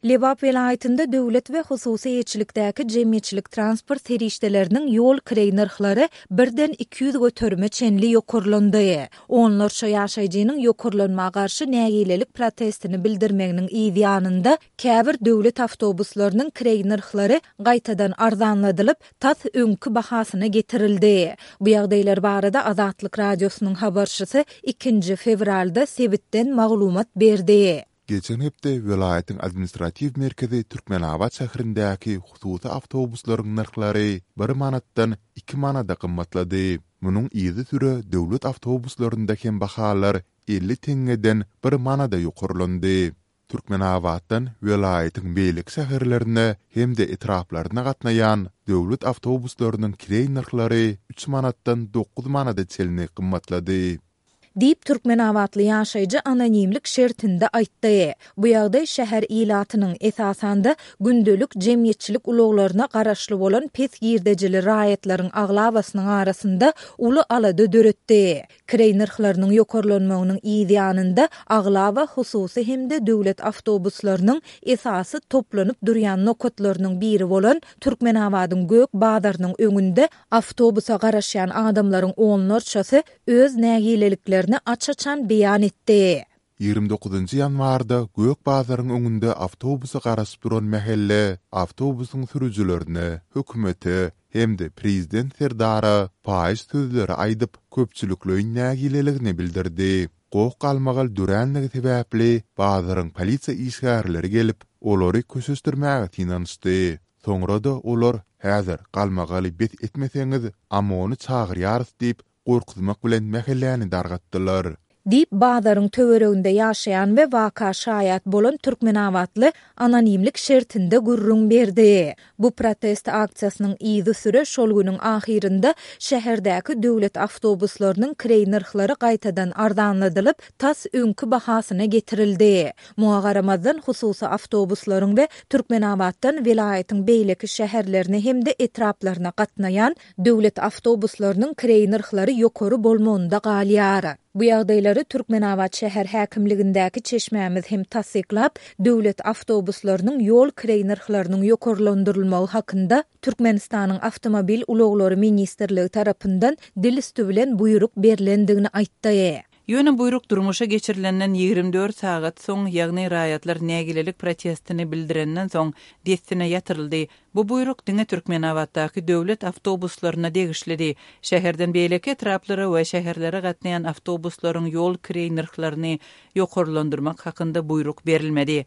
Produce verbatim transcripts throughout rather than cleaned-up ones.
Lebap welaýatynda döwlet we hususy eýeçilikdäki jemgyýetçilik transport serişdeleriniň ýol kireý nyrhlary birden iki ýüz göterime çenli ýokarlandy. Onlarça ýaşaýjynyň ýokarlanma garşy nägilelik protestini bildirmeginiň yz ýanynda käbir döwlet awtobuslarynyň kireý nyrhlary gaýtadan arzanladylyp, tas öňki bahasyna getirildi. Bu ýagdaýlar barada Azatlyk Radiosynyň habarçysy ikinji fewralda sebitden maglumat berdi. Geçen hepde welaýatyň administratiw merkezi Türkmenabat şäherindäki hususy awtobuslaryň nyrhlary bir manatdan iki manada gymmatlady. Munuň yzysüre döwlet awtobuslarynda hem bahalar elli teňňeden bir manada ýokarlandy. Türkmenabatdan welaýatyň beýleki şäherlerine hem-de etraplaryna gatnaýan döwlet awtobuslarynyň kireý nyrhlary üç manatdan dokuz manada çenli gymmatlady. Diýip, türkmenabatly ýaşaýjy anonimlik şertinde aýtdy. Bu ýagdaý şäher ilatynyň, esasan-da, gündelik jemgyýetçilik ulaglaryna garaşly bolan pes girdejili raýatlaryň aglabasynyň arasynda uly alada döretdi. Kireý nyrhlarynyň ýokarlanmagynyň yz ýanynda aglaba hususy hem-de döwlet awtobuslarynyň esasy toplanyp durýan nokatlarynyň biri bolan Türkmenabadyň Gök bazarynyň öňünde awtobusa garaşýan adamlaryň onlarçasy öz nägileliklerini aç-açan beýan etdi. Ýigrimi dokuzynjy ýanwarda Gök bazaryň öňünde awtobusa garaşyp duran mähelle awtobusyň sürüjilerine, hökümete hem-de prezident Serdara paýyş sözleri aýdyp, köpçülikleýin nägileligini bildirdi. Goh-galmagal döränligi sebäpli bazaryň polisiýa işgärleri gelip, olary köşeşdirmäge synanyşdy. Soňra-da olar, Häzir galmagaly bes etmeseňiz, OMON-y çagyrýarys diýip, gorkuzmak bilen mähelläni dargatdylar. Diýip, bazaryň töwereginde ýaşaýan we waka şaýat bolan türkmenabatly anonimlik şertinde gürrüň berdi. Bu protest aksiýasynyň yzysüre şol günüň ahyrynda şäherdäki döwlet awtobuslarynyň kireý nyrhlary gaýtadan arzanladylyp, tas öňki bahasyna getirildi. Muňa garamazdan, hususy awtobuslaryň we Türkmenabatdan welaýatyň beýleki şäherlerine hem-de etraplaryna gatnaýan döwlet awtobuslarynyň kireý nyrhlary ýokary bolmagynda galýar. Bu ýagdaýlary Türkmenabat şäher häkimligindäki çeşmämiz hem tassyklap, döwlet awtobuslarynyň ýol kireý nyrhlarynyň ýokarlandyrylmagy hakynda Türkmenistanyň Awtomobil ulaglary ministrligi tarapyndan dil üsti bilen buýruk berlendigini aýtdy. Ýöne buýruk durmuşa geçirilenden ýigrimi dört sagat soň, ýagny raýatlar nägilelik protestini bildirenden soň, dessine ýatyryldy. Bu buýruk diňe Türkmenabatdaky döwlet awtobuslaryna degişlidi. Şäherden beýleki etraplara we şäherlere gatnaýan awtobuslaryň ýol kireý nyrhlaryny ýokarlandyrmak hakynda buýruk berilmedi.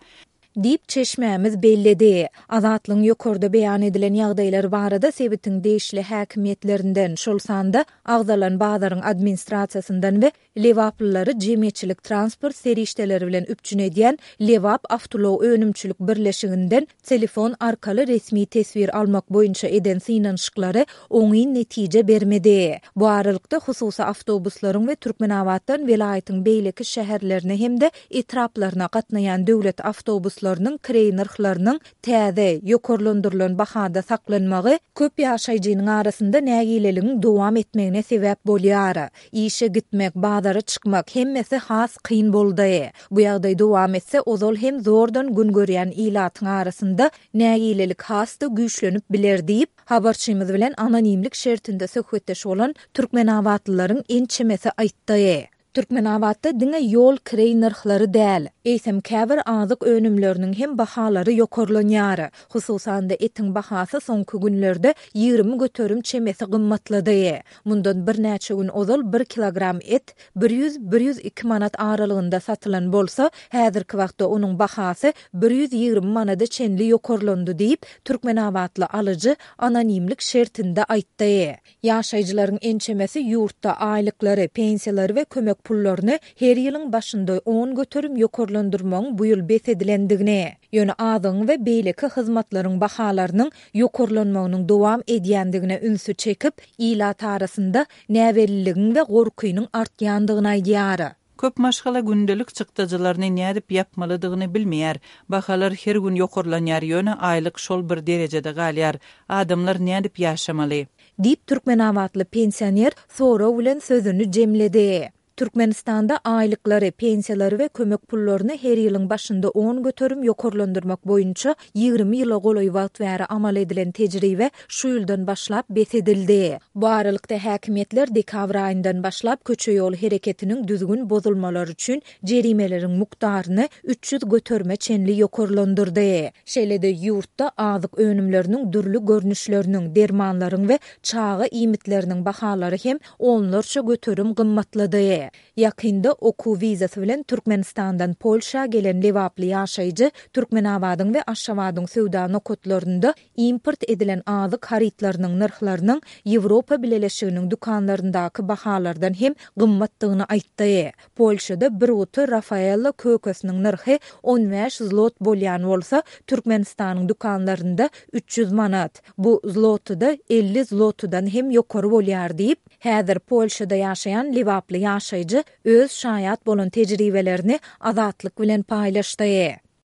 Diýip, çeşmämiz belledi. Azatlygyň ýokarda beýan edilen ýagdaýlar barada sebitiň degişli häkimiýetlerinden, şol sanda agzalan bazaryň administrasiýasyndan we lebaplylary jemgyýetçilik transport serişdeleri bilen üpjün edýän Lebap awtoulag önümçilik birleşiginden telefon arkaly resmi teswir almak boýunça eden synanyşyklary oňyn netije bermedi. Bu aralykda, hususy awtobuslaryň we Türkmenabatdan welaýatyň beýleki şäherlerine hem-de etraplaryna gatnaýan döwlet awtobuslarynyň kireý nyrhlarynyň täze, ýokarlandyrylan bahada saklanmagy köp ýaşaýjynyň arasynda nägileligiň dowam etmegine sebäp bolýar. Işe gitmek, bazara çykmak, hemmesi has kyn boldy. Bu ýagdaý dowam etse, ozal hem zordan gün görýän ilatyň arasynda nägilelik has-da güýçlenip biler diýip, habarçymyz bilen anonimlik şertinde söhbetdeş bolan türkmenabatlylaryň ençemesi aýtdy. Türkmenabatda diňe ýol kireý nyrhlary däl, eýsem käbir azyk önümleriniň hem bahalary ýokarlanýar. Hususan-da, etiň bahasy soňky günlerde ýigrimi göterim çemesi gymmatlady. Mundan birnäçe gün ozal bir kilogram et bir ýüz, bir ýüz iki manat aralygynda satylan bolsa, häzirki wagtda onuň bahasy bir ýüz ýigrimi manada çenli ýokarlandy diýip, türkmenabatly alyjy anonimlik şertinde aýtdy. Ýaşaýjylaryň ençemesi ýurtda aýlyklary, pensiýalary we kömek pullaryny her ýylyň başynda on göterim ýokarlandyrmagyň bu ýyl bes edilendigini, ýöne azygyň we beýleki hyzmatlaryň bahalarynyň ýokarlanmagynyň dowam edýändigine ünsi çekip, ilat arasynda näbelliligiň we gorkynyň artýandygyny aýdýar. Köp maşgala gündelik çykdajylaryny nädip ýapmalydygyny bilmeýär. Bahalar her gün ýokarlanýar, ýöne aýlyk şol bir derejede galýar. Adamlar nädip ýaşamaly? Diýip, türkmenabatly pensioner sorag bilen sözüni jemledi. Türkmenistanda aýlyklary, pensiýalary we kömek pullaryny her ýylyň başynda on göterim ýokarlandyrmak boýunça ýigrimi ýyla golaý wagt bäri amal edilen tejribe şu ýyldan başlap bes edildi. Bu aralykda, häkimiýetler dekabr aýyndan başlap köçe-ýol hereketiniň düzgün bozulmalary üçin jerimeleriň mukdaryny üç ýüz göterime çenli ýokarlandyrdy. Şeýle-de ýurtda azyk önümleriniň dürli görnüşleriniň, dermanlaryň we çaga iýmitleriniň bahalary hem onlarça göterim gymmatlady. Ýakynda okuw wizasy bilen Türkmenistandan Polşa gelen lebaply ýaşaýjy Türkmenabadyň we Aşgabadyň söwda nokatlarynda import edilen azyk harytlarynyň nyrhlarynyň Ýewropa Bileleşiginiň dükanlaryndaky bahalardan hem gymmatdygyny aýtdy. Polşada bir guty Rafaello kökesiniň nyrhy on bäş zlot bolýan bolsa, Türkmenistanyň dükanlarynda üç ýüz manat. Bu zlotyda elli zlotydan hem ýokary bolýar diýip, häzir Polşada ýaşaýan lebaply ýaşaýjy öz şaýat bolan tejribelerini Azatlyk bilen paýlaşdy.